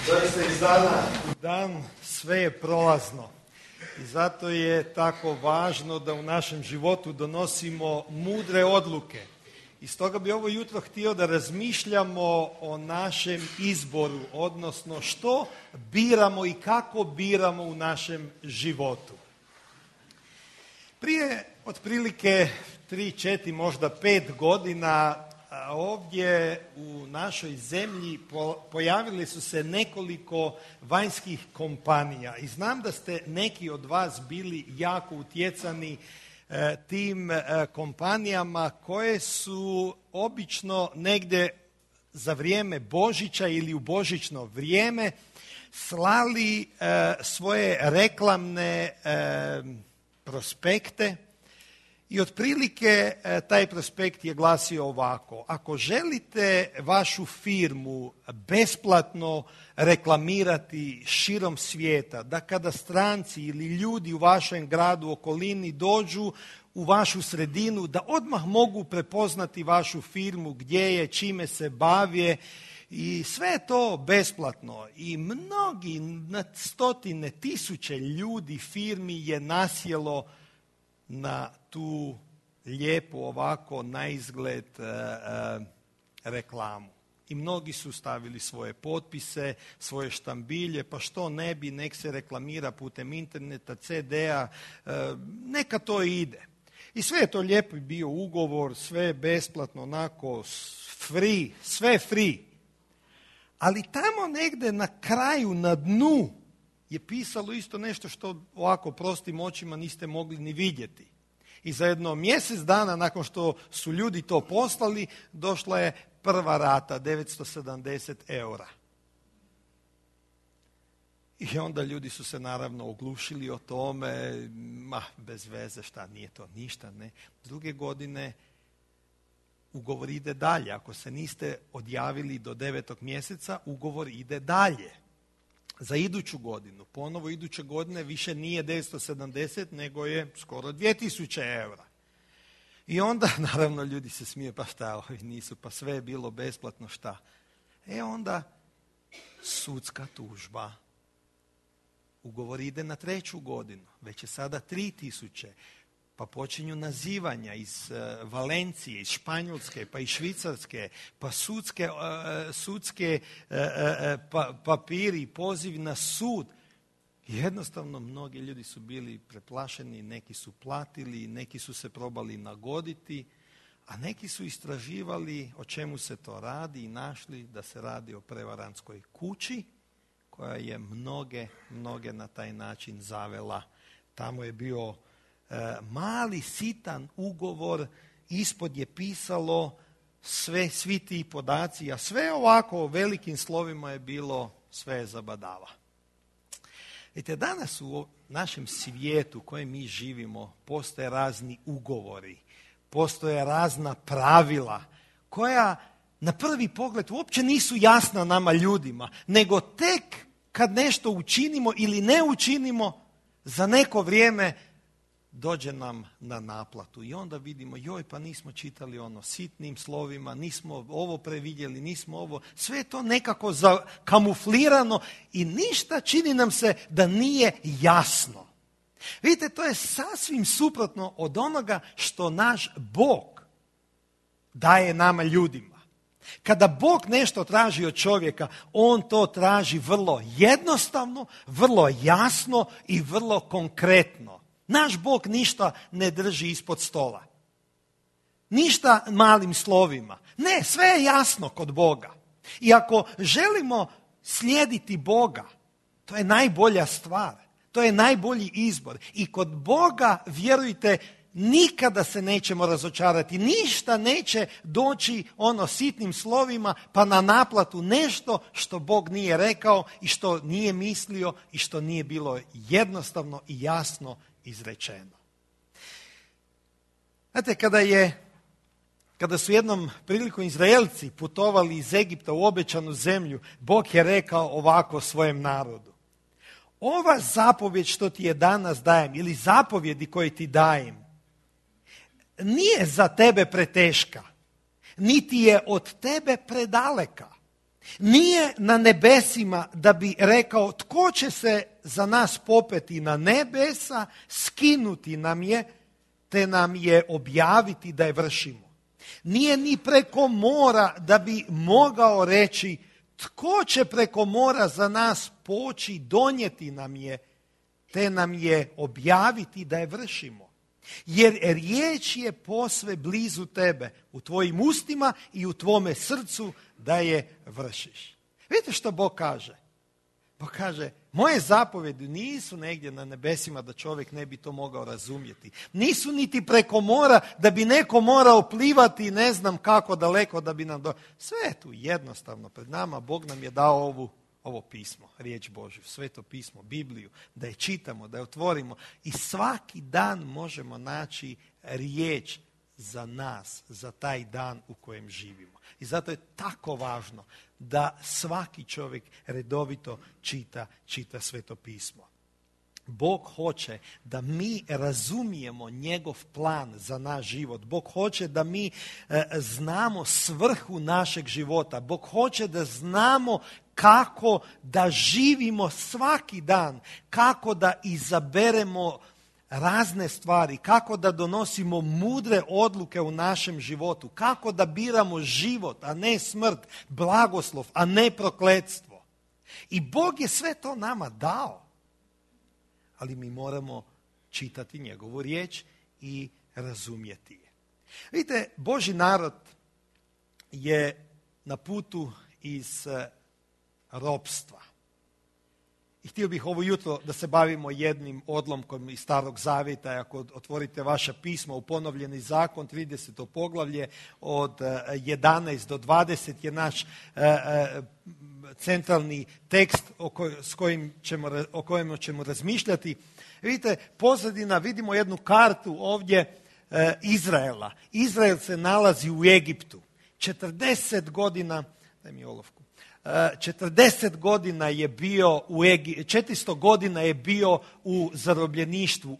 Doista iz dana u dan sve je prolazno i zato je tako važno da u našem životu donosimo mudre odluke. I stoga bi ovo jutro htio da razmišljamo o našem izboru, odnosno što biramo i kako biramo u našem životu. Prije otprilike 3, 4, možda 5 godina ovdje u našoj zemlji pojavili su se nekoliko vanjskih kompanija i znam da ste neki od vas bili jako utjecani tim kompanijama koje su obično negdje za vrijeme Božića ili u božićno vrijeme slali svoje reklamne prospekte. I otprilike taj prospekt je glasio ovako: ako želite vašu firmu besplatno reklamirati širom svijeta, da kada stranci ili ljudi u vašem gradu, okolini dođu u vašu sredinu, da odmah mogu prepoznati vašu firmu, gdje je, čime se bavi, i sve je to besplatno. I mnogi, na stotine tisuće ljudi, firmi je nasjelo na tu lijepu ovako na izgled reklamu. I mnogi su stavili svoje potpise, svoje štambilje, pa što ne bi, nek se reklamira putem interneta, CD-a, neka to ide. I sve je to lijepo bio ugovor, sve je besplatno, onako free, sve free. Ali tamo negdje na kraju, na dnu, je pisalo isto nešto što ovako prostim očima niste mogli ni vidjeti. I za jedno mjesec dana nakon što su ljudi to poslali, došla je prva rata, 970 eura. I onda ljudi su se naravno oglušili o tome, bez veze, šta, nije to ništa, ne. Druge godine ugovor ide dalje. Ako se niste odjavili do 9. mjeseca, ugovor ide dalje. Za iduću godinu, ponovo iduće godine više nije 970, nego je skoro 2000 eura. I onda, naravno, ljudi se smije, pa šta, ovi nisu, pa sve je bilo besplatno, šta. Onda sudska tužba. Ugovor ide na 3. godinu, već je sada 3000. Pa počinju nazivanja iz Valencije, iz Španjolske, pa iz Švicarske, pa sudske papiri, poziv na sud. Jednostavno, mnogi ljudi su bili preplašeni, neki su platili, neki su se probali nagoditi, a neki su istraživali o čemu se to radi i našli da se radi o prevarantskoj kući koja je mnoge na taj način zavela. Tamo je bio mali sitan ugovor, ispod je pisalo svi ti podaci, a sve ovako velikim slovima je bilo, sve je zabadava. Vidite, danas u našem svijetu u kojem mi živimo postoje razni ugovori, postoje razna pravila koja na prvi pogled uopće nisu jasna nama ljudima, nego tek kad nešto učinimo ili ne učinimo, za neko vrijeme dođe nam na naplatu. I onda vidimo, joj, pa nismo čitali ono sitnim slovima, nismo ovo previdjeli, nismo ovo. Sve je to nekako kamuflirano i ništa, čini nam se da nije jasno. Vidite, to je sasvim suprotno od onoga što naš Bog daje nama ljudima. Kada Bog nešto traži od čovjeka, on to traži vrlo jednostavno, vrlo jasno i vrlo konkretno. Naš Bog ništa ne drži ispod stola. Ništa malim slovima. Ne, sve je jasno kod Boga. I ako želimo slijediti Boga, to je najbolja stvar. To je najbolji izbor. I kod Boga, vjerujte, nikada se nećemo razočarati. Ništa neće doći sitnim slovima pa na naplatu nešto što Bog nije rekao i što nije mislio i što nije bilo jednostavno i jasno izrečeno. Znate, kada su jednom prilikom Izraelci putovali iz Egipta u obećanu zemlju, Bog je rekao ovako svojem narodu: ova zapovjed što ti je danas dajem, ili zapovjedi koje ti dajem, nije za tebe preteška, niti je od tebe predaleka. Nije na nebesima da bi rekao tko će se za nas popeti na nebesa, skinuti nam je, te nam je objaviti da je vršimo. Nije ni preko mora da bi mogao reći tko će preko mora za nas poći, donijeti nam je, te nam je objaviti da je vršimo. Jer riječ je posve blizu tebe, u tvojim ustima i u tvome srcu da je vršiš. Vidite što Bog kaže? Bog kaže, moje zapovjedi nisu negdje na nebesima da čovjek ne bi to mogao razumjeti. Nisu niti preko mora da bi neko morao plivati ne znam kako daleko da bi nam Sve je tu jednostavno pred nama. Bog nam je dao ovo pismo, riječ Božju, sveto pismo, Bibliju, da je čitamo, da je otvorimo i svaki dan možemo naći riječ za nas, za taj dan u kojem živimo. I zato je tako važno da svaki čovjek redovito čita sveto pismo. Bog hoće da mi razumijemo njegov plan za naš život. Bog hoće da mi znamo svrhu našeg života. Bog hoće da znamo kako da živimo svaki dan, kako da izaberemo razne stvari, kako da donosimo mudre odluke u našem životu, kako da biramo život, a ne smrt, blagoslov, a ne prokletstvo. I Bog je sve to nama dao. Ali mi moramo čitati njegovu riječ i razumjeti je. Vidite, Božji narod je na putu iz ropstva. I htio bih ovo jutro da se bavimo jednim odlomkom iz Starog Zavjeta. Ako otvorite vaša pisma u Ponovljeni zakon, 30. poglavlje od 11 do 20 je naš centralni tekst o kojem ćemo razmišljati. Vidite, pozadina, vidimo jednu kartu ovdje Izraela. Izrael se nalazi u Egiptu. 40 godina, daj mi olovku. 40 godina je bio 400 godina je bio u zarobljeništvu,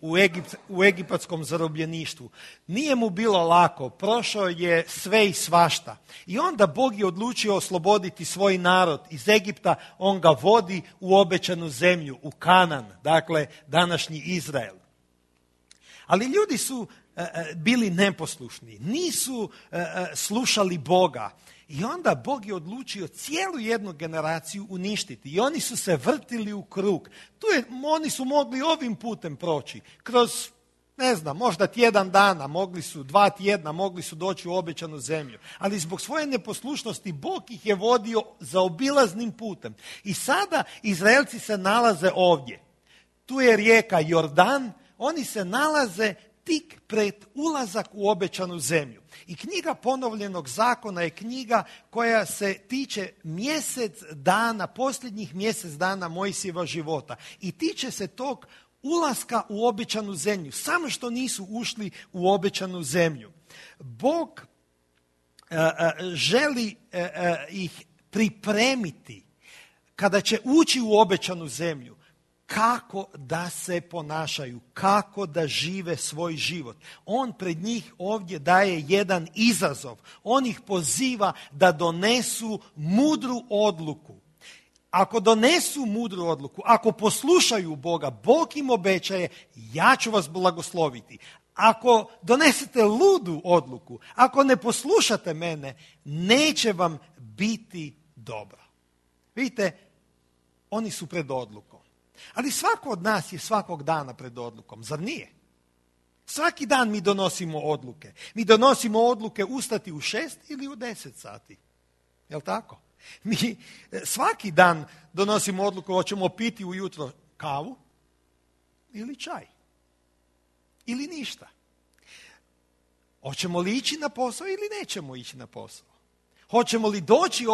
u egipatskom zarobljeništvu. Nije mu bilo lako, prošao je sve i svašta. I onda Bog je odlučio osloboditi svoj narod iz Egipta, on ga vodi u obećanu zemlju, u Kanan, dakle današnji Izrael. Ali ljudi su bili neposlušni, nisu slušali Boga. I onda Bog je odlučio cijelu jednu generaciju uništiti. I oni su se vrtili u krug. Oni su mogli ovim putem proći. Kroz, možda tjedan dana, 2 tjedna, mogli su doći u obećanu zemlju. Ali zbog svoje neposlušnosti Bog ih je vodio zaobilaznim putem. I sada Izraelci se nalaze ovdje. Tu je rijeka Jordan, oni se nalaze tik pred ulazak u obećanu zemlju. I knjiga Ponovljenog zakona je knjiga koja se tiče posljednjih mjesec dana Mojsijeva života. I tiče se tog ulaska u obećanu zemlju. Samo što nisu ušli u obećanu zemlju. Bog želi ih pripremiti kada će ući u obećanu zemlju. Kako da se ponašaju, kako da žive svoj život. On pred njih ovdje daje jedan izazov. On ih poziva da donesu mudru odluku. Ako donesu mudru odluku, ako poslušaju Boga, Bog im obećaje, ja ću vas blagosloviti. Ako donesete ludu odluku, ako ne poslušate mene, neće vam biti dobro. Vidite, oni su pred odlukom. Ali svako od nas je svakog dana pred odlukom, zar nije? Svaki dan mi donosimo odluke. Mi donosimo odluke ustati u 6 ili u 10 sati. Jel' tako? Mi svaki dan donosimo odluku hoćemo piti ujutro kavu ili čaj. Ili ništa. Hoćemo li ići na posao ili nećemo ići na posao. Hoćemo li doći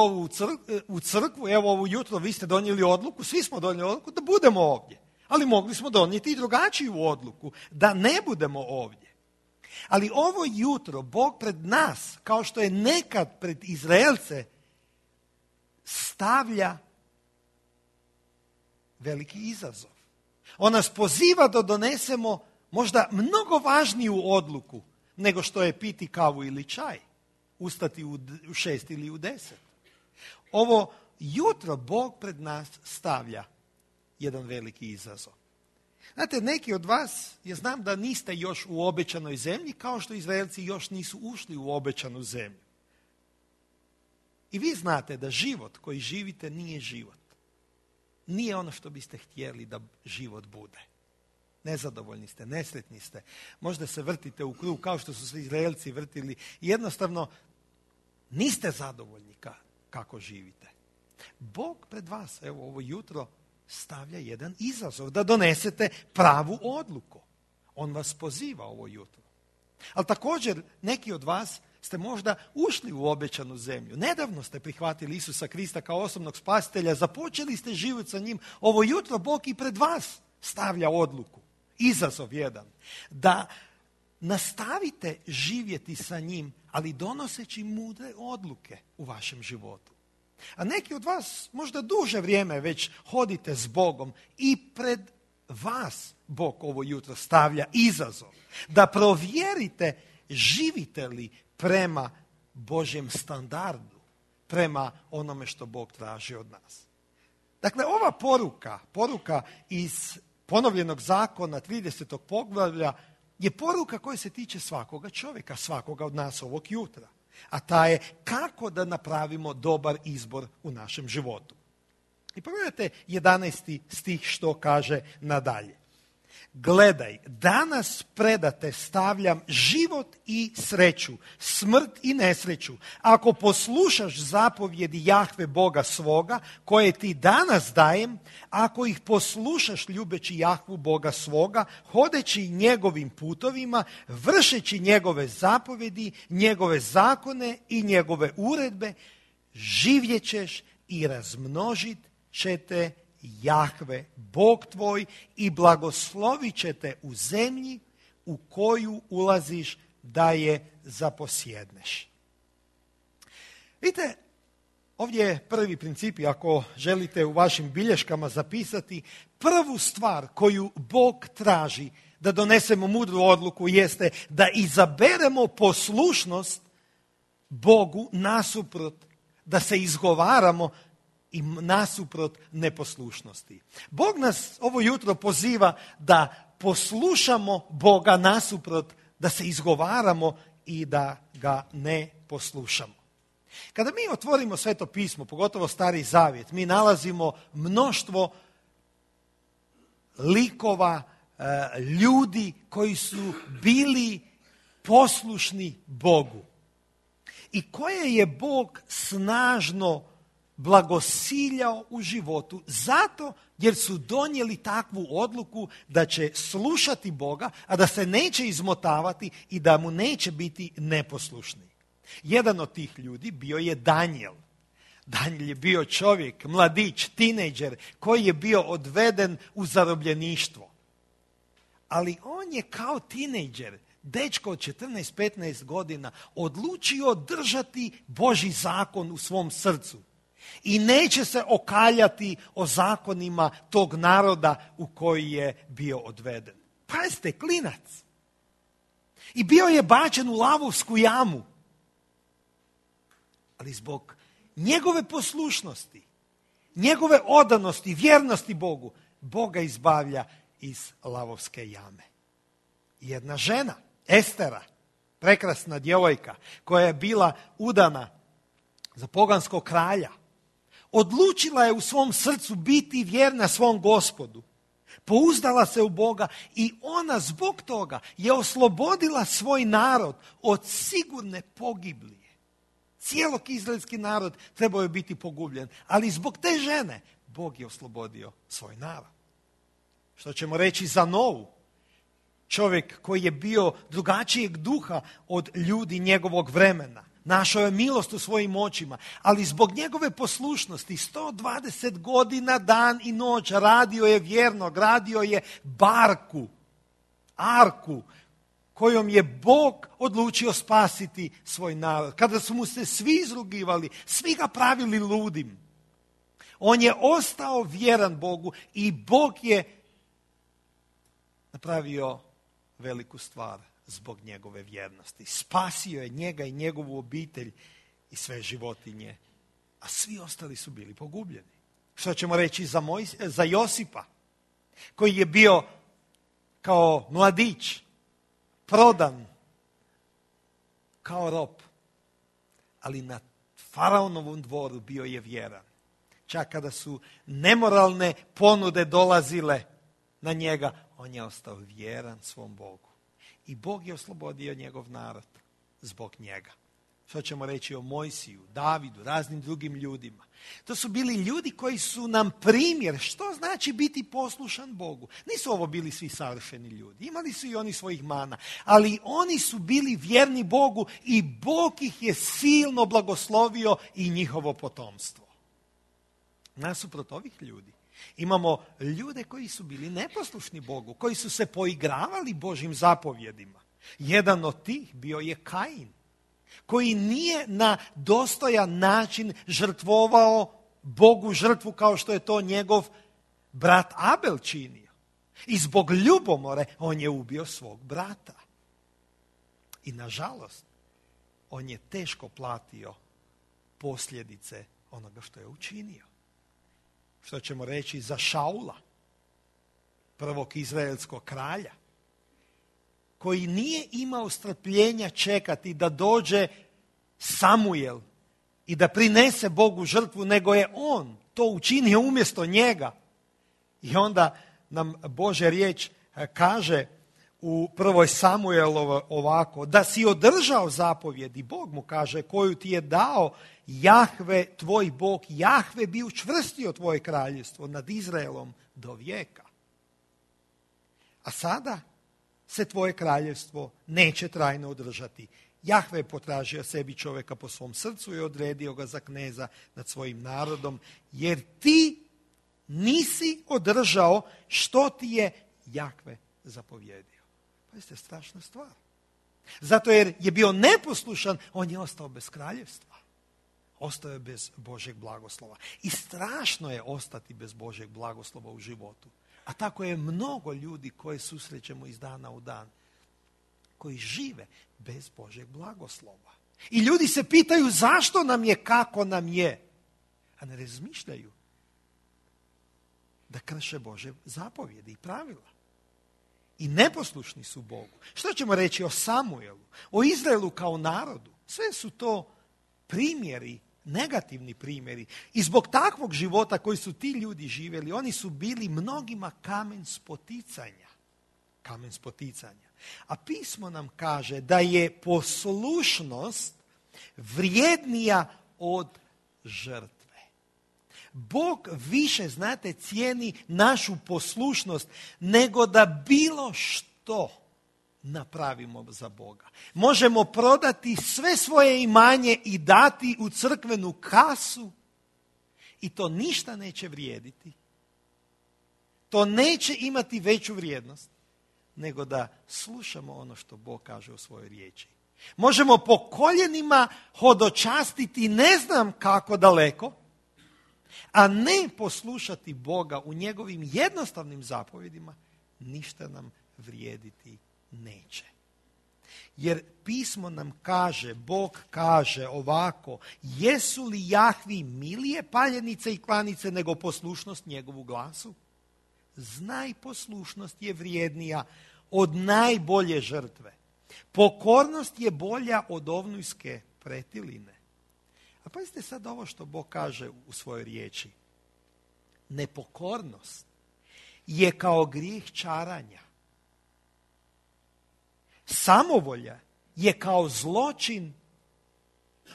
u crkvu, evo ovo jutro vi ste donijeli odluku, svi smo donijeli odluku da budemo ovdje. Ali mogli smo donijeti i drugačiju odluku, da ne budemo ovdje. Ali ovo jutro Bog pred nas, kao što je nekad pred Izraelce, stavlja veliki izazov. On nas poziva da donesemo možda mnogo važniju odluku nego što je piti kavu ili čaj. Ustati u 6 ili u 10. Ovo jutro Bog pred nas stavlja jedan veliki izazov. Znate, neki od vas, ja znam da niste još u obećanoj zemlji, kao što Izraelci još nisu ušli u obećanu zemlju. I vi znate da život koji živite nije život. Nije ono što biste htjeli da život bude. Nezadovoljni ste, nesretni ste. Možda se vrtite u krug kao što su se Izraelci vrtili. Jednostavno, niste zadovoljni kako živite. Bog pred vas, evo ovo jutro, stavlja jedan izazov da donesete pravu odluku. On vas poziva ovo jutro. Ali također neki od vas ste možda ušli u obećanu zemlju. Nedavno ste prihvatili Isusa Krista kao osobnog spasitelja, započeli ste život sa njim. Ovo jutro Bog i pred vas stavlja odluku, izazov jedan, da nastavite živjeti sa njim, ali donoseći mudre odluke u vašem životu. A neki od vas možda duže vrijeme već hodite s Bogom i pred vas Bog ovo jutro stavlja izazov da provjerite živite li prema Božjem standardu, prema onome što Bog traži od nas. Dakle, ova poruka iz ponovljenog zakona 30. poglavlja je poruka koja se tiče svakoga čovjeka, svakoga od nas ovog jutra. A ta je kako da napravimo dobar izbor u našem životu. I pogledajte 11. stih što kaže nadalje. Gledaj, danas predate stavljam život i sreću, smrt i nesreću. Ako poslušaš zapovjedi Jahve Boga svoga, koje ti danas dajem, ako ih poslušaš ljubeći Jahvu Boga svoga, hodeći njegovim putovima, vršeći njegove zapovjedi, njegove zakone i njegove uredbe, živjet ćeš i razmnožit ćete Jahve, Bog tvoj, i blagoslovit će te u zemlji u koju ulaziš da je zaposjedneš. Vidite, ovdje je prvi princip, ako želite u vašim bilješkama zapisati, prvu stvar koju Bog traži da donesemo mudru odluku jeste da izaberemo poslušnost Bogu nasuprot, da se izgovaramo i nasuprot neposlušnosti. Bog nas ovo jutro poziva da poslušamo Boga nasuprot, da se izgovaramo i da ga ne poslušamo. Kada mi otvorimo Sveto pismo, pogotovo Stari Zavjet, mi nalazimo mnoštvo likova, ljudi koji su bili poslušni Bogu i koje je Bog snažno blagosiljao u životu zato jer su donijeli takvu odluku da će slušati Boga, a da se neće izmotavati i da mu neće biti neposlušni. Jedan od tih ljudi bio je Danijel. Danijel je bio čovjek, mladić, tinejdžer koji je bio odveden u zarobljeništvo. Ali on je kao tinejdžer, dečko od 14-15 godina, odlučio držati Božji zakon u svom srcu. I neće se okaljati o zakonima tog naroda u koji je bio odveden. Pazite, klinac. I bio je bačen u lavovsku jamu. Ali zbog njegove poslušnosti, njegove odanosti, vjernosti Bogu, Bog ga izbavlja iz lavovske jame. Jedna žena, Estera, prekrasna djevojka koja je bila udana za poganskog kralja, odlučila je u svom srcu biti vjerna svom Gospodu. Pouzdala se u Boga i ona zbog toga je oslobodila svoj narod od sigurne pogiblije. Cijelog izraelski narod trebao je biti pogubljen, ali zbog te žene Bog je oslobodio svoj narod. Što ćemo reći za Novu? Čovjek koji je bio drugačijeg duha od ljudi njegovog vremena. Našao je milost u svojim očima, ali zbog njegove poslušnosti 120 godina dan i noć radio je vjerno, gradio je arku kojom je Bog odlučio spasiti svoj narod. Kada su mu se svi izrugivali, svi ga pravili ludim, on je ostao vjeran Bogu i Bog je napravio veliku stvar zbog njegove vjernosti. Spasio je njega i njegovu obitelj i sve životinje a svi ostali su bili pogubljeni. Što ćemo reći za Josipa, koji je bio kao mladić, prodan, kao rob, ali na faraonovom dvoru bio je vjeran. Čak kada su nemoralne ponude dolazile na njega, on je ostao vjeran svom Bogu. I Bog je oslobodio njegov narod zbog njega. Što ćemo reći o Mojsiju, Davidu, raznim drugim ljudima. To su bili ljudi koji su nam primjer što znači biti poslušan Bogu. Nisu ovo bili svi savršeni ljudi, imali su i oni svojih mana, ali oni su bili vjerni Bogu i Bog ih je silno blagoslovio i njihovo potomstvo. Nasuprot ovih ljudi imamo ljude koji su bili neposlušni Bogu, koji su se poigravali Božjim zapovjedima. Jedan od tih bio je Kain, koji nije na dostojan način žrtvovao Bogu žrtvu kao što je to njegov brat Abel činio. I zbog ljubomore on je ubio svog brata. I nažalost, on je teško platio posljedice onoga što je učinio. Što ćemo reći za Šaula, prvog izraelskog kralja, koji nije imao strpljenja čekati da dođe Samuel i da prinese Bogu žrtvu, nego je on to učinio umjesto njega. I onda nam Božja riječ kaže u prvoj Samuelovoj ovako, da si održao zapovjedi, Bog mu kaže, koju ti je dao Jahve, tvoj Bog, Jahve bi učvrstio tvoje kraljevstvo nad Izraelom do vijeka. A sada se tvoje kraljevstvo neće trajno održati. Jahve je potražio sebi čovjeka po svom srcu i odredio ga za kneza nad svojim narodom, jer ti nisi održao što ti je Jahve zapovjedio. Pazite, strašna stvar. Zato jer je bio neposlušan, on je ostao bez kraljevstva. Ostao je bez Božjeg blagoslova. I strašno je ostati bez Božjeg blagoslova u životu. A tako je mnogo ljudi koje susrećemo iz dana u dan, koji žive bez Božjeg blagoslova. I ljudi se pitaju zašto nam je, kako nam je, a ne razmišljaju da krše Božje zapovjedi i pravila. I neposlušni su Bogu. Što ćemo reći o Samuelu, o Izraelu kao narodu? Sve su to primjeri, negativni primjeri. I zbog takvog života koji su ti ljudi živjeli, oni su bili mnogima kamen spoticanja. Kamen spoticanja. A pismo nam kaže da je poslušnost vrijednija od žrtve. Bog više, znate, cijeni našu poslušnost nego da bilo što napravimo za Boga. Možemo prodati sve svoje imanje i dati u crkvenu kasu i to ništa neće vrijediti. To neće imati veću vrijednost nego da slušamo ono što Bog kaže u svojoj riječi. Možemo po koljenima hodočastiti ne znam kako daleko, a ne poslušati Boga u njegovim jednostavnim zapovjedima, ništa nam vrijediti neće. Jer pismo nam kaže, Bog kaže ovako, jesu li Jahvi milije paljenice i klanice nego poslušnost njegovu glasu? Znaj, poslušnost je vrijednija od najbolje žrtve. Pokornost je bolja od ovnujske pretiline. A pazite sad ovo što Bog kaže u svojoj riječi. Nepokornost je kao grijeh čaranja. Samovolja je kao zločin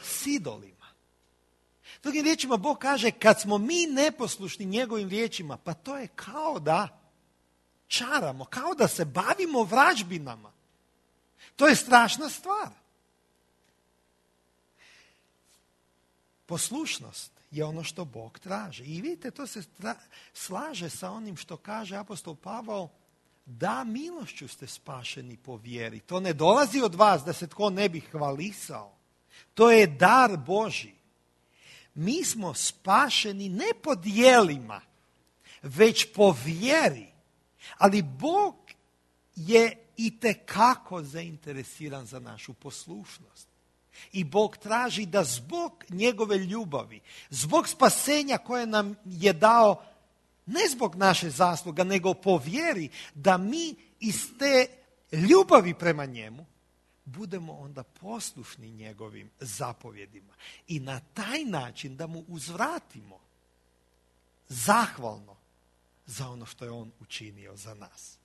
s idolima. Drugim riječima Bog kaže, kad smo mi neposlušni njegovim riječima, pa to je kao da čaramo, kao da se bavimo vražbinama. To je strašna stvar. Poslušnost je ono što Bog traži. I vidite, to se slaže sa onim što kaže apostol Pavao, da milošću ste spašeni po vjeri. To ne dolazi od vas da se tko ne bi hvalisao. To je dar Božji. Mi smo spašeni ne po djelima, već po vjeri. Ali Bog je itekako zainteresiran za našu poslušnost. I Bog traži da zbog njegove ljubavi, zbog spasenja koje nam je dao, ne zbog naše zasluga, nego po vjeri, da mi iz te ljubavi prema njemu budemo onda poslušni njegovim zapovjedima. I na taj način da mu uzvratimo zahvalno za ono što je on učinio za nas.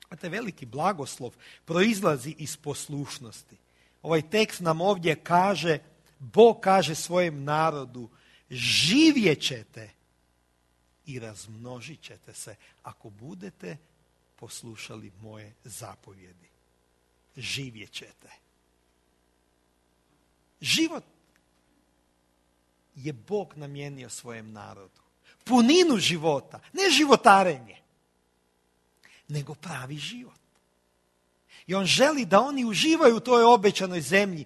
A taj veliki blagoslov proizlazi iz poslušnosti. Ovaj tekst nam ovdje kaže, Bog kaže svojem narodu, živjet ćete i razmnožit ćete se ako budete poslušali moje zapovjedi. Živjet ćete. Život je Bog namijenio svojem narodu. Puninu života, ne životarenje, nego pravi život. I on želi da oni uživaju u toj obećanoj zemlji.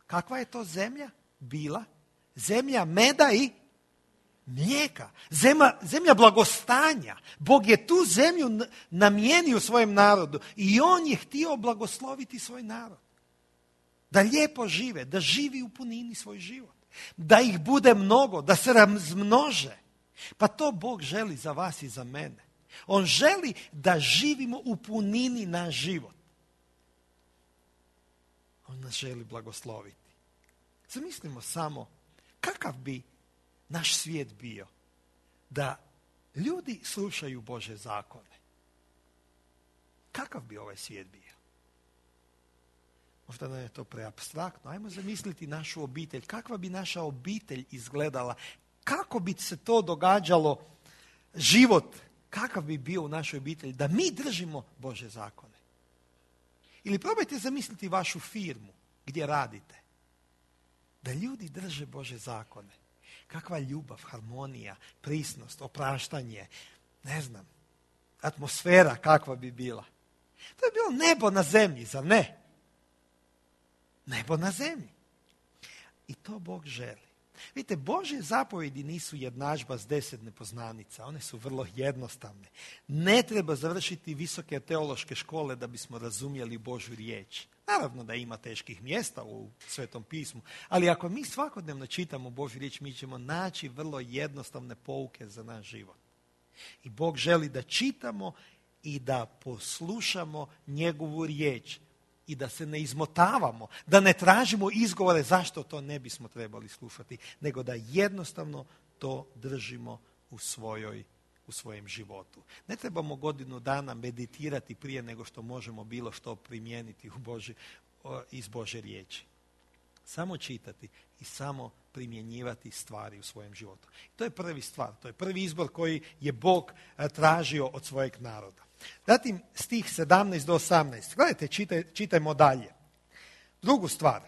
Kakva je to zemlja bila? Zemlja meda i mlijeka. Zemlja blagostanja. Bog je tu zemlju namijenio svojem narodu i on je htio blagosloviti svoj narod. Da lijepo žive, da živi u punini svoj život. Da ih bude mnogo, da se razmnože. Pa to Bog želi za vas i za mene. On želi da živimo u punini naš život. On nas želi blagosloviti. Zamislimo samo kakav bi naš svijet bio da ljudi slušaju Božje zakone. Kakav bi ovaj svijet bio? Možda nam je to preapstraktno. Ajmo zamisliti našu obitelj. Kakva bi naša obitelj izgledala? Kako bi se to događalo? Život, kakav bi bio u našoj obitelji da mi držimo Božje zakone? Ili probajte zamisliti vašu firmu gdje radite. Da ljudi drže Božje zakone. Kakva ljubav, harmonija, prisnost, opraštanje, ne znam, atmosfera kakva bi bila. To je bilo nebo na zemlji, zar ne? Nebo na zemlji. I to Bog želi. Vidite, Božje zapovjedi nisu jednadžba s 10 nepoznanica. One su vrlo jednostavne. Ne treba završiti visoke teološke škole da bismo razumjeli Božju riječ. Naravno da ima teških mjesta u Svetom pismu, ali ako mi svakodnevno čitamo Božju riječ, mi ćemo naći vrlo jednostavne pouke za naš život. I Bog želi da čitamo i da poslušamo njegovu riječ i da se ne izmotavamo, da ne tražimo izgovore zašto to ne bismo trebali slušati, nego da jednostavno to držimo u svojem životu. Ne trebamo godinu dana meditirati prije nego što možemo bilo što primijeniti iz Božje riječi. Samo čitati i samo primjenjivati stvari u svojem životu. To je prvi stvar, to je prvi izbor koji je Bog tražio od svojeg naroda. Zatim stih 17 do 18. Gledajte, čitajmo dalje. Drugu stvar.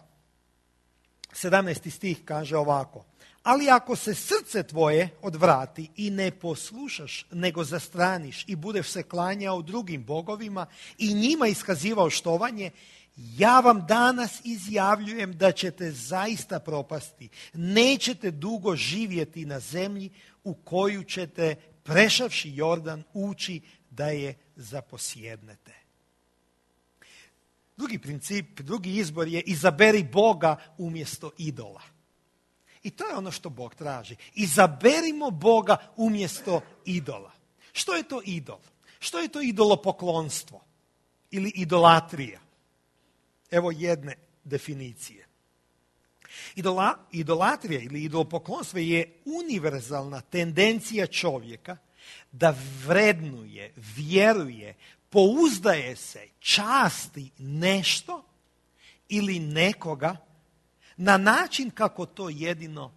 17. stih kaže ovako. Ali ako se srce tvoje odvrati i ne poslušaš, nego zastraniš i budeš se klanjao drugim bogovima i njima iskazivao štovanje, ja vam danas izjavljujem da ćete zaista propasti. Nećete dugo živjeti na zemlji u koju ćete, prešavši Jordan, ući da je zaposjednete. Drugi princip, drugi izbor je izaberi Boga umjesto idola. I to je ono što Bog traži. Izaberimo Boga umjesto idola. Što je to idol? Što je to idolopoklonstvo? Ili idolatrija? Evo jedne definicije. Idolatrija ili idolopoklonstvo je univerzalna tendencija čovjeka da vrednuje, vjeruje, pouzdaje se, časti nešto ili nekoga na način kako to jedino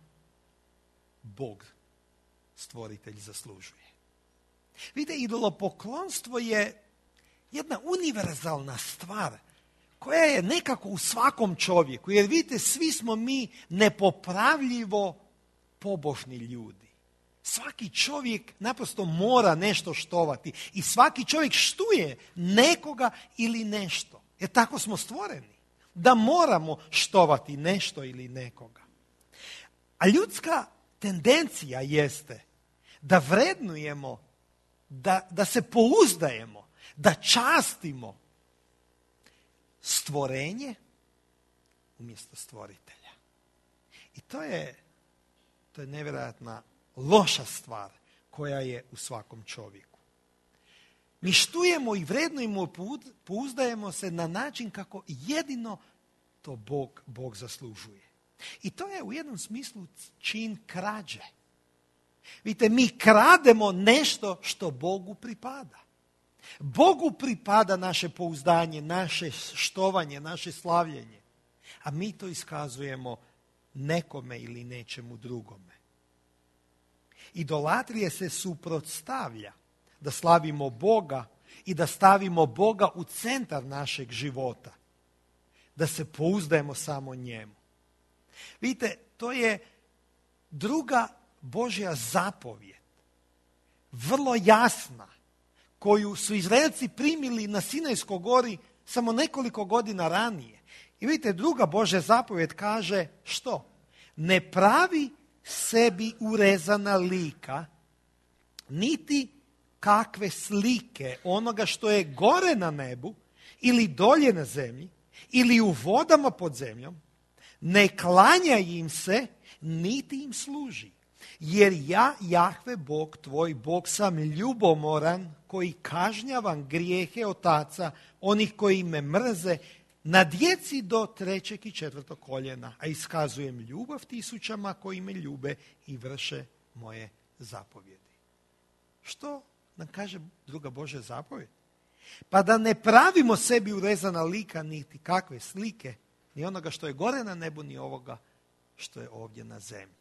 Bog, stvoritelj, zaslužuje. Vidite, idolopoklonstvo je jedna univerzalna stvar koja je nekako u svakom čovjeku. Jer vidite, svi smo mi nepopravljivo pobožni ljudi. Svaki čovjek naprosto mora nešto štovati i svaki čovjek štuje nekoga ili nešto. Jer tako smo stvoreni. Da moramo štovati nešto ili nekoga. A ljudska tendencija jeste da vrednujemo, da se pouzdajemo, da častimo stvorenje umjesto stvoritelja. I to je nevjerojatna loša stvar koja je u svakom čovjeku. Mi štujemo i vrednujemo, pouzdajemo se na način kako jedino to Bog zaslužuje. I to je u jednom smislu čin krađe. Vidite, mi krademo nešto što Bogu pripada. Bogu pripada naše pouzdanje, naše štovanje, naše slavljenje. A mi to iskazujemo nekome ili nečemu drugome. Idolatrija se suprotstavlja da slavimo Boga i da stavimo Boga u centar našeg života. Da se pouzdajemo samo njemu. Vidite, to je druga Božja zapovijed. Vrlo jasna. Koju su Izraelci primili na Sinajskoj gori samo nekoliko godina ranije. I vidite, druga Božja zapovijed kaže što? Ne pravi sebi urezana lika, niti kakve slike onoga što je gore na nebu, ili dolje na zemlji, ili u vodama pod zemljom, ne klanja im se, niti im služi. Jer ja, Jahve Bog, tvoj Bog, sam ljubomoran, koji kažnjavam grijehe otaca, onih koji me mrze, na djeci do 3. i 4. koljena, a iskazujem ljubav tisućama koji me ljube i vrše moje zapovjedi. Što nam kaže druga Božja zapovjed? Pa da ne pravimo sebi urezana lika, niti kakve slike, ni onoga što je gore na nebu, ni ovoga što je ovdje na zemlji.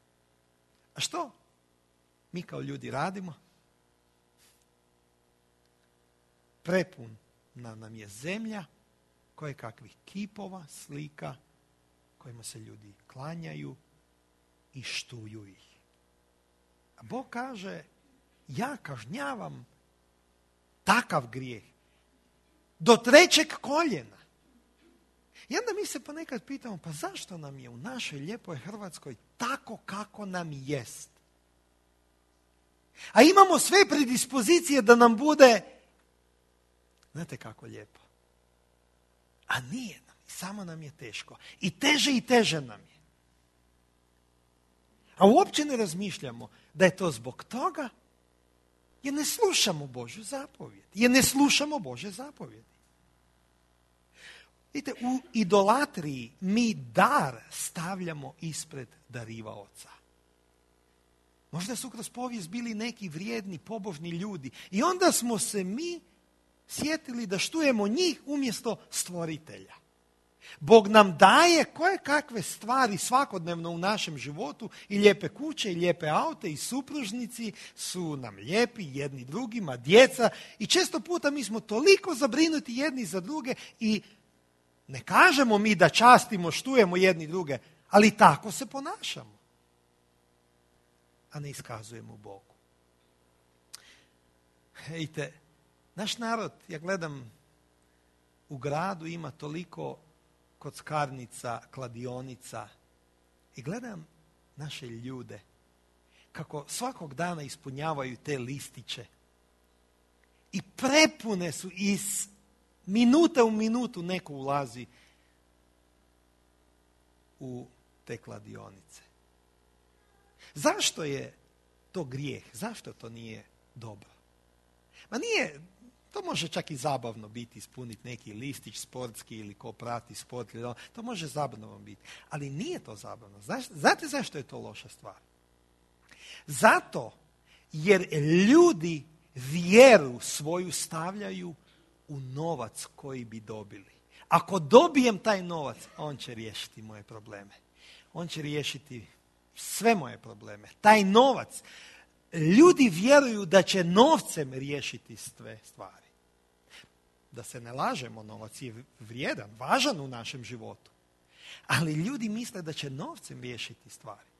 A što mi kao ljudi radimo? Prepuna nam je zemlja koje kakvih kipova, slika kojima se ljudi klanjaju i štuju ih. A Bog kaže, ja kažnjavam takav grijeh do 3. koljena. I onda mi se ponekad pitamo, pa zašto nam je u našoj lijepoj Hrvatskoj tako kako nam jest? A imamo sve predispozicije da nam bude, znate kako lijepo. A nije nam, samo nam je teško. I teže nam je. A uopće ne razmišljamo da je to zbog toga jer ne slušamo Božju zapovjed. Jer ne slušamo Božje zapovjedi. Vidite, u idolatriji mi dar stavljamo ispred darivaoca. Možda su kroz povijest bili neki vrijedni, pobožni ljudi. I onda smo se mi sjetili da štujemo njih umjesto stvoritelja. Bog nam daje koje kakve stvari svakodnevno u našem životu, i lijepe kuće, i lijepe aute, i supružnici su nam lijepi jedni drugima, djeca, i često puta mi smo toliko zabrinuti jedni za druge i ne kažemo mi da častimo, štujemo jedni druge, ali tako se ponašamo, a ne iskazujemo Bogu. Vidite, naš narod, ja gledam, u gradu ima toliko kockarnica, kladionica, i gledam naše ljude kako svakog dana ispunjavaju te listiće i prepune su, iz minute u minutu neko ulazi u te kladionice. Zašto je to grijeh? Zašto to nije dobro? Ma nije, to može čak i zabavno biti, ispuniti neki listić sportski ili ko prati sport, to može zabavno biti. Ali nije to zabavno. Znate zašto je to loša stvar? Zato jer ljudi vjeru svoju stavljaju u novac koji bi dobili. Ako dobijem taj novac, on će riješiti moje probleme. On će riješiti sve moje probleme. Taj novac, ljudi vjeruju da će novcem riješiti sve stvari. Da se ne lažemo, novac je vrijedan, važan u našem životu. Ali ljudi misle da će novcem riješiti stvari.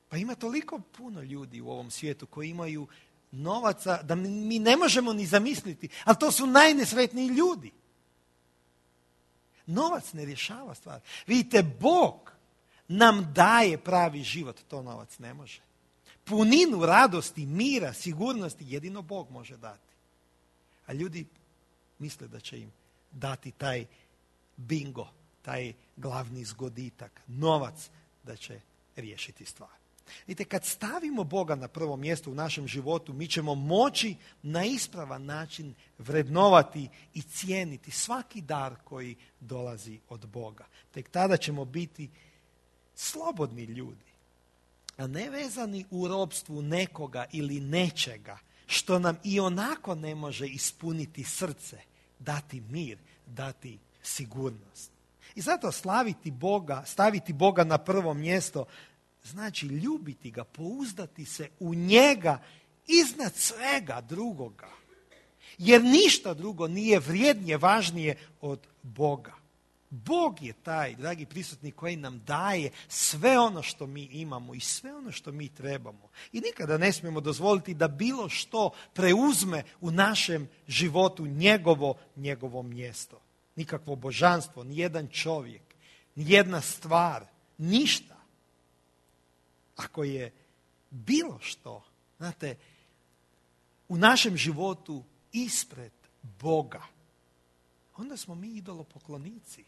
Pa ima toliko puno ljudi u ovom svijetu koji imaju novaca da mi ne možemo ni zamisliti, ali to su najnesretniji ljudi. Novac ne rješava stvar. Vidite, Bog nam daje pravi život, to novac ne može. Puninu radosti, mira, sigurnosti jedino Bog može dati. A ljudi misle da će im dati taj bingo, taj glavni zgoditak, novac, da će riješiti stvar. Vidite, kad stavimo Boga na prvo mjesto u našem životu, mi ćemo moći na ispravan način vrednovati i cijeniti svaki dar koji dolazi od Boga. Tek tada ćemo biti slobodni ljudi, a ne vezani u ropstvu nekoga ili nečega što nam i onako ne može ispuniti srce, dati mir, dati sigurnost. I zato slaviti Boga, staviti Boga na prvo mjesto, znači ljubiti ga, pouzdati se u njega iznad svega drugoga. Jer ništa drugo nije vrijednije, važnije od Boga. Bog je taj, dragi prisutni, koji nam daje sve ono što mi imamo i sve ono što mi trebamo. I nikada ne smijemo dozvoliti da bilo što preuzme u našem životu njegovo mjesto. Nikakvo božanstvo, nijedan čovjek, nijedna stvar, ništa. Ako je bilo što, znate, u našem životu ispred Boga, onda smo mi idolopoklonici.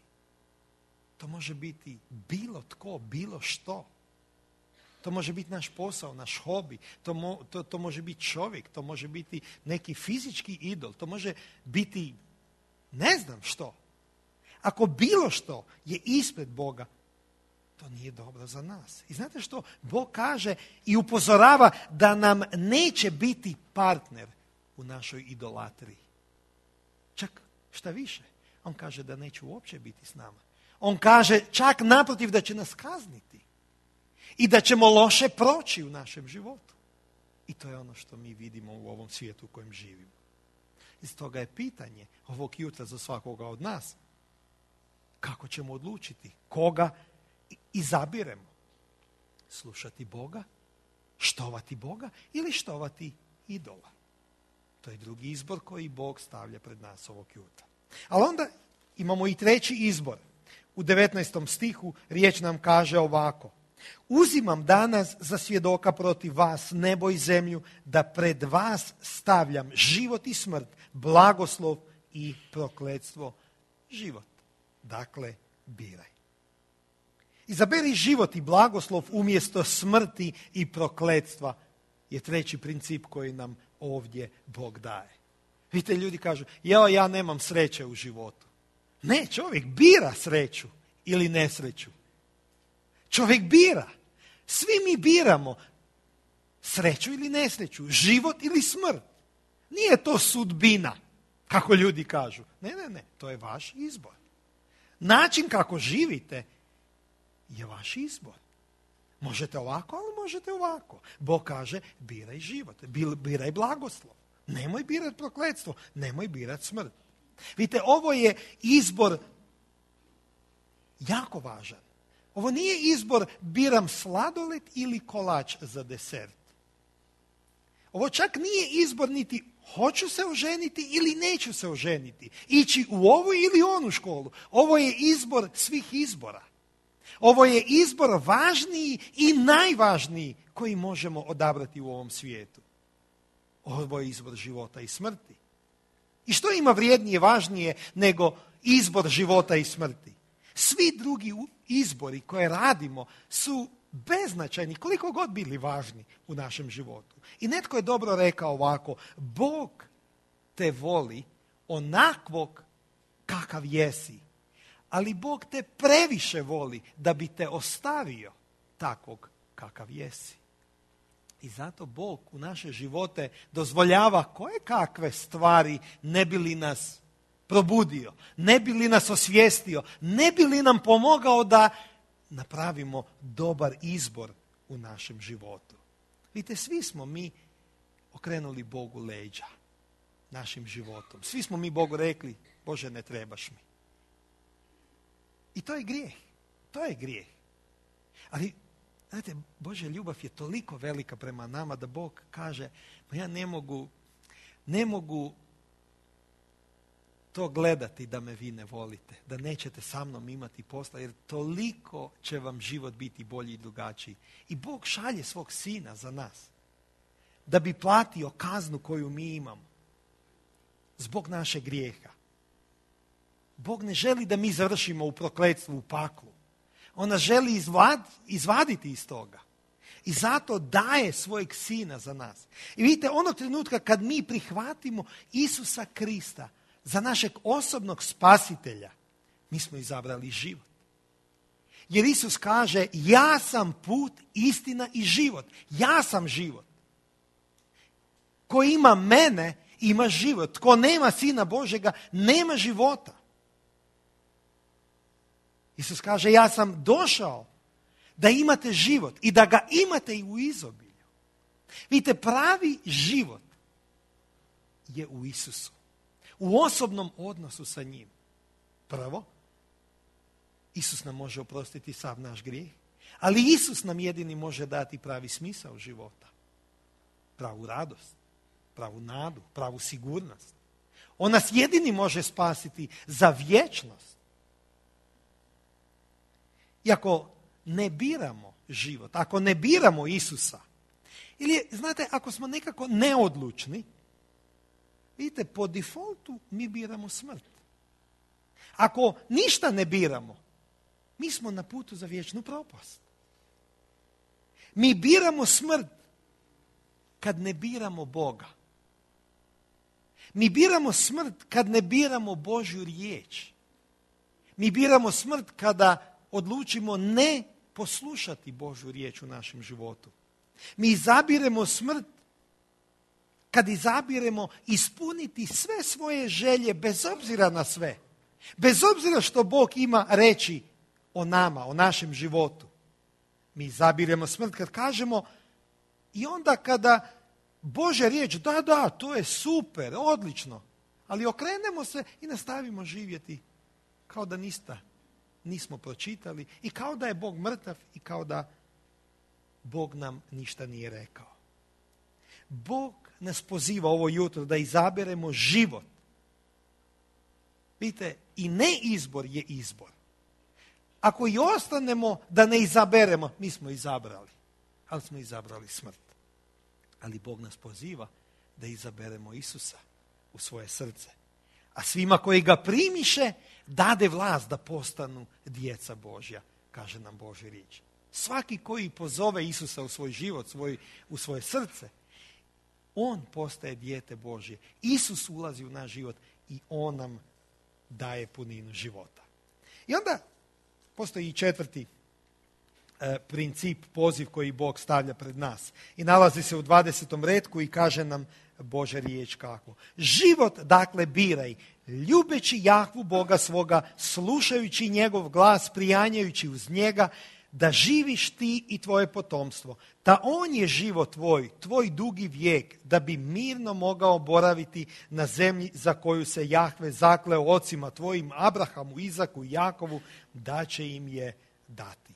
To može biti bilo tko, bilo što. To može biti naš posao, naš hobi, to može biti čovjek, to može biti neki fizički idol, to može biti ne znam što. Ako bilo što je ispred Boga, to nije dobro za nas. I znate što? Bog kaže i upozorava da nam neće biti partner u našoj idolatriji. Čak šta više, on kaže da neće uopće biti s nama. On kaže čak naprotiv da će nas kazniti i da ćemo loše proći u našem životu. I to je ono što mi vidimo u ovom svijetu u kojem živimo. I stoga je pitanje ovog jutra za svakoga od nas, kako ćemo odlučiti, koga izabiremo? Slušati Boga, štovati Boga ili štovati idola? To je drugi izbor koji Bog stavlja pred nas ovog jutra. Ali onda imamo i treći izbor. U 19. stihu riječ nam kaže ovako: uzimam danas za svjedoka protiv vas nebo i zemlju, da pred vas stavljam život i smrt, blagoslov i prokletstvo. Život. Dakle, biraj. Izaberi život i blagoslov umjesto smrti i prokletstva je treći princip koji nam ovdje Bog daje. Vidite, ljudi kažu, ja nemam sreće u životu. Ne, čovjek bira sreću ili nesreću. Čovjek bira. Svi mi biramo sreću ili nesreću, život ili smrt. Nije to sudbina, kako ljudi kažu. Ne, to je vaš izbor. Način kako živite je vaš izbor. Možete ovako, ali možete ovako. Bog kaže, biraj život, biraj blagoslov. Nemoj birati prokletstvo, nemoj birati smrt. Vidite, ovo je izbor jako važan. Ovo nije izbor biram sladoled ili kolač za desert. Ovo čak nije izbor niti hoću se oženiti ili neću se oženiti. Ići u ovu ili onu školu. Ovo je izbor svih izbora. Ovo je izbor važniji i najvažniji koji možemo odabrati u ovom svijetu. Ovo je izbor života i smrti. I što ima vrijednije, važnije nego izbor života i smrti? Svi drugi izbori koje radimo su beznačajni, koliko god bili važni u našem životu. I netko je dobro rekao ovako: Bog te voli onakvog kakav jesi, ali Bog te previše voli da bi te ostavio takvog kakav jesi. I zato Bog u naše živote dozvoljava koje kakve stvari ne bi li nas probudio, ne bi li nas osvijestio, ne bi li nam pomogao da napravimo dobar izbor u našem životu. Vidite, svi smo mi okrenuli Bogu leđa našim životom. Svi smo mi Bogu rekli, Bože, ne trebaš mi. I to je grijeh. To je grijeh. Ali, znate, Božja ljubav je toliko velika prema nama da Bog kaže, pa ja ne mogu to gledati da me vi ne volite, da nećete sa mnom imati posla, jer toliko će vam život biti bolji i drugačiji. I Bog šalje svog sina za nas, da bi platio kaznu koju mi imamo zbog našeg grijeha. Bog ne želi da mi završimo u prokletstvu, u paklu. On nas želi izvaditi iz toga. I zato daje svojeg sina za nas. I vidite, onog trenutka kad mi prihvatimo Isusa Krista za našeg osobnog spasitelja, mi smo izabrali život. Jer Isus kaže, ja sam put, istina i život. Ja sam život. Ko ima mene, ima život. Tko nema Sina Božjega, nema života. Isus kaže, ja sam došao da imate život i da ga imate i u izobilju. Vidite, pravi život je u Isusu. U osobnom odnosu sa njim. Prvo, Isus nam može oprostiti sav naš grijeh, ali Isus nam jedini može dati pravi smisao života. Pravu radost, pravu nadu, pravu sigurnost. On nas jedini može spasiti za vječnost. I ako ne biramo život, ako ne biramo Isusa, ili znate, ako smo nekako neodlučni, vidite, po defaultu mi biramo smrt. Ako ništa ne biramo, mi smo na putu za vječnu propast. Mi biramo smrt kad ne biramo Boga. Mi biramo smrt kad ne biramo Božju riječ. Mi biramo smrt kada odlučimo ne poslušati Božju riječ u našem životu. Mi izabiremo smrt kad izabiremo ispuniti sve svoje želje bez obzira na sve. Bez obzira što Bog ima reći o nama, o našem životu. Mi izabiremo smrt kad kažemo i onda kada Božja riječ, da, to je super, odlično, ali okrenemo se i nastavimo živjeti kao da nismo pročitali i kao da je Bog mrtav i kao da Bog nam ništa nije rekao. Bog nas poziva ovo jutro da izaberemo život. Vidite, i neizbor je izbor. Ako i ostanemo da ne izaberemo, mi smo izabrali, ali smo izabrali smrt. Ali Bog nas poziva da izaberemo Isusa u svoje srce. A svima koji ga primiše, dade vlast da postanu djeca Božja, kaže nam Božja riječ. Svaki koji pozove Isusa u svoj život, u svoje srce, on postaje dijete Božje. Isus ulazi u naš život i on nam daje puninu života. I onda postoji i četvrti princip, poziv koji Bog stavlja pred nas. I nalazi se u 20. retku i kaže nam Božja riječ kako. Život, dakle, biraj, ljubeći Jahvu Boga svoga, slušajući njegov glas, prijanjajući uz njega, da živiš ti i tvoje potomstvo. Da on je život tvoj dugi vijek, da bi mirno mogao boraviti na zemlji za koju se Jahve zakleo ocima tvojim, Abrahamu, Izaku i Jakovu, da će im je dati.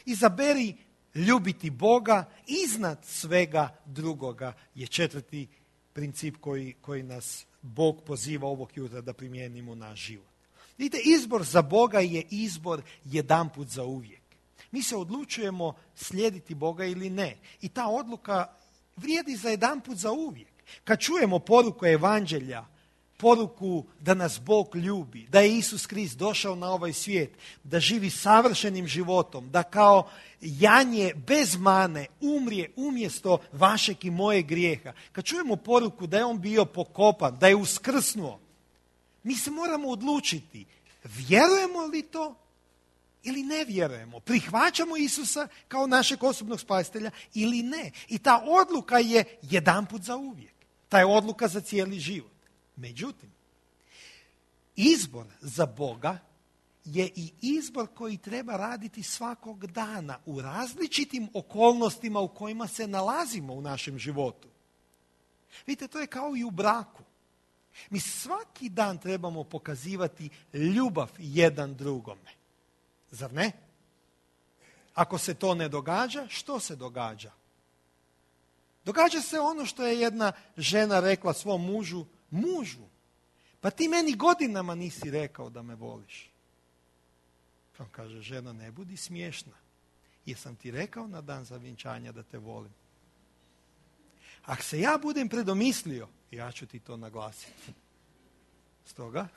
Izaberi ljubiti Boga iznad svega drugoga je četvrti princip koji nas Bog poziva ovog jutra da primijenimo na život. Vidite, izbor za Boga je izbor jedanput za uvijek. Mi se odlučujemo slijediti Boga ili ne. I ta odluka vrijedi za jedanput za uvijek. Kad čujemo poruku evanđelja, poruku da nas Bog ljubi, da je Isus Krist došao na ovaj svijet, da živi savršenim životom, da kao janje bez mane umrije umjesto vašeg i moje grijeha. Kad čujemo poruku da je on bio pokopan, da je uskrsnuo, mi se moramo odlučiti, vjerujemo li to ili ne vjerujemo. Prihvaćamo Isusa kao našeg osobnog spasitelja ili ne. I ta odluka je jedanput za uvijek. Ta je odluka za cijeli život. Međutim, izbor za Boga je i izbor koji treba raditi svakog dana u različitim okolnostima u kojima se nalazimo u našem životu. Vidite, to je kao i u braku. Mi svaki dan trebamo pokazivati ljubav jedan drugome. Zar ne? Ako se to ne događa, što se događa? Događa se ono što je jedna žena rekla svom mužu, pa ti meni godinama nisi rekao da me voliš. On kaže, žena, ne budi smiješna. Jesam ti rekao na dan zavjenčanja da te volim? Ako se ja budem predomislio, ja ću ti to naglasiti. Stoga,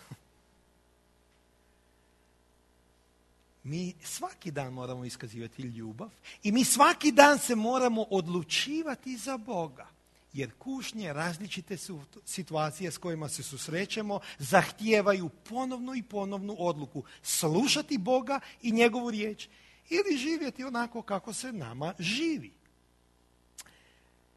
Mi svaki dan moramo iskazivati ljubav i mi svaki dan se moramo odlučivati za Boga. Jer kušnje, različite situacije s kojima se susrećemo, zahtijevaju ponovnu i ponovnu odluku. Slušati Boga i njegovu riječ ili živjeti onako kako se nama živi.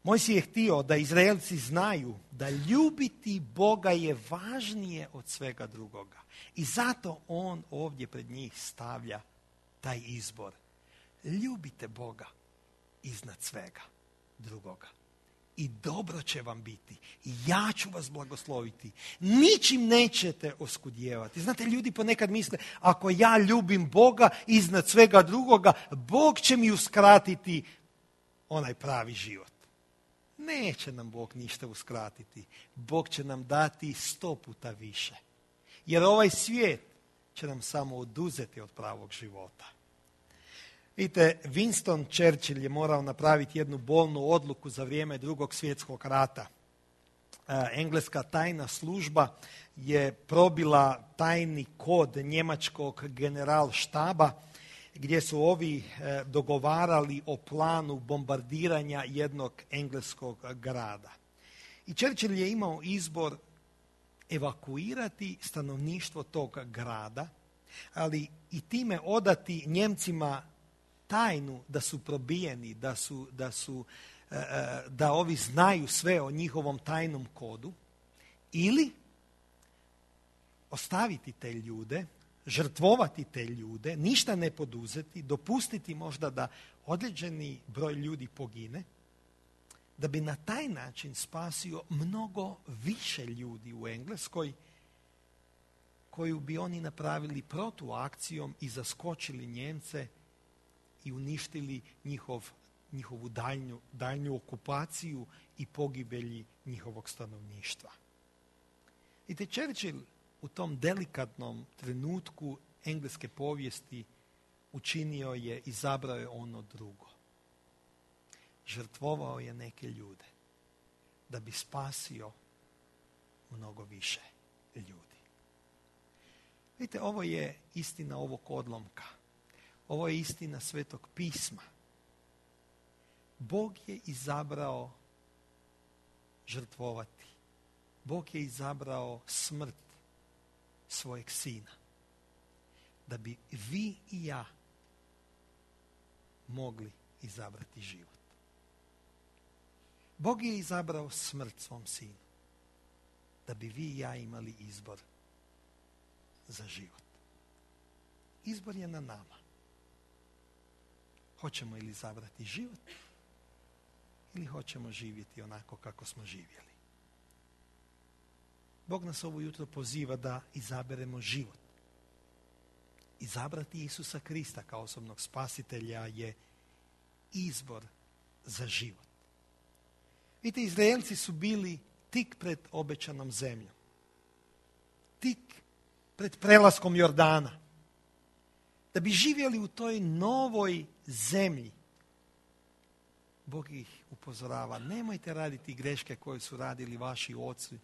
Mojsije je htio da Izraelci znaju da ljubiti Boga je važnije od svega drugoga. I zato on ovdje pred njih stavlja taj izbor. Ljubite Boga iznad svega drugoga. I dobro će vam biti. I ja ću vas blagosloviti. Ničim nećete oskudjevati. Znate, ljudi ponekad misle, ako ja ljubim Boga iznad svega drugoga, Bog će mi uskratiti onaj pravi život. Neće nam Bog ništa uskratiti. Bog će nam dati 100 puta više. Jer ovaj svijet će nam samo oduzeti od pravog života. Vidite, Winston Churchill je morao napraviti jednu bolnu odluku za vrijeme Drugog svjetskog rata. Engleska tajna služba je probila tajni kod njemačkog generalštaba gdje su ovi dogovarali o planu bombardiranja jednog engleskog grada. I Churchill je imao izbor evakuirati stanovništvo tog grada, ali i time odati Njemcima tajnu da su probijeni, da ovi znaju sve o njihovom tajnom kodu, ili ostaviti te ljude, žrtvovati te ljude, ništa ne poduzeti, dopustiti možda da određeni broj ljudi pogine, da bi na taj način spasio mnogo više ljudi u Engleskoj, koju bi oni napravili protuakcijom i zaskočili Njemce i uništili njihovu daljnju okupaciju i pogibelji njihovog stanovništva. I te Churchill u tom delikatnom trenutku engleske povijesti učinio je, izabrao je ono drugo. Žrtvovao je neke ljude da bi spasio mnogo više ljudi. Vidite, ovo je istina ovog odlomka. Ovo je istina Svetog pisma. Bog je izabrao žrtvovati. Bog je izabrao smrt svojeg sina. Da bi vi i ja mogli izabrati život. Bog je izabrao smrt svom sinu. Da bi vi i ja imali izbor za život. Izbor je na nama. Hoćemo li izabrati život ili hoćemo živjeti onako kako smo živjeli. Bog nas ovo jutro poziva da izaberemo život. Izabrati Isusa Krista kao osobnog spasitelja je izbor za život. Vidite, Izraelci su bili tik pred obećanom zemljom. Tik pred prelaskom Jordana. Da bi živjeli u toj novoj zemlji, Bog ih upozorava, nemojte raditi greške koje su radili vaši oci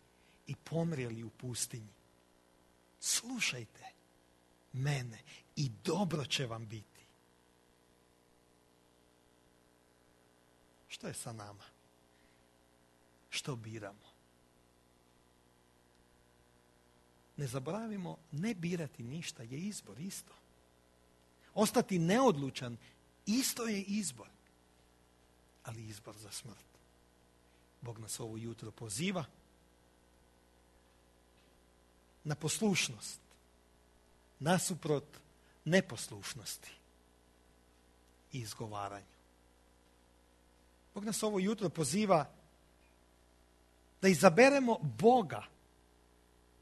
i pomrijeli u pustinji. Slušajte mene i dobro će vam biti. Što je sa nama? Što biramo? Ne zaboravimo, ne birati ništa je izbor isto. Ostati neodlučan isto je izbor, ali izbor za smrt. Bog nas ovo jutro poziva na poslušnost, nasuprot neposlušnosti i izgovaranju. Bog nas ovo jutro poziva da izaberemo Boga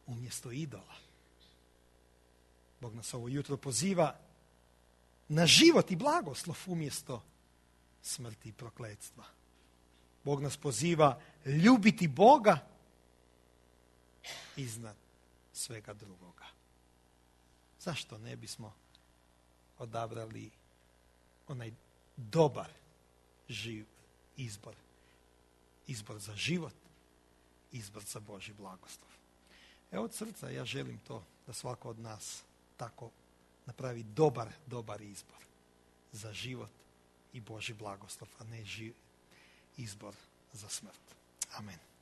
umjesto idola. Bog nas ovo jutro poziva na život i blagoslov umjesto smrti i prokletstva. Bog nas poziva ljubiti Boga iznad svega drugoga. Zašto ne bismo odabrali onaj dobar izbor? Izbor za život, izbor za Božji blagoslov. Evo od srca ja želim to da svako od nas tako napravi dobar izbor za život i Božji blagoslov, a ne izbor za smrt. Amen.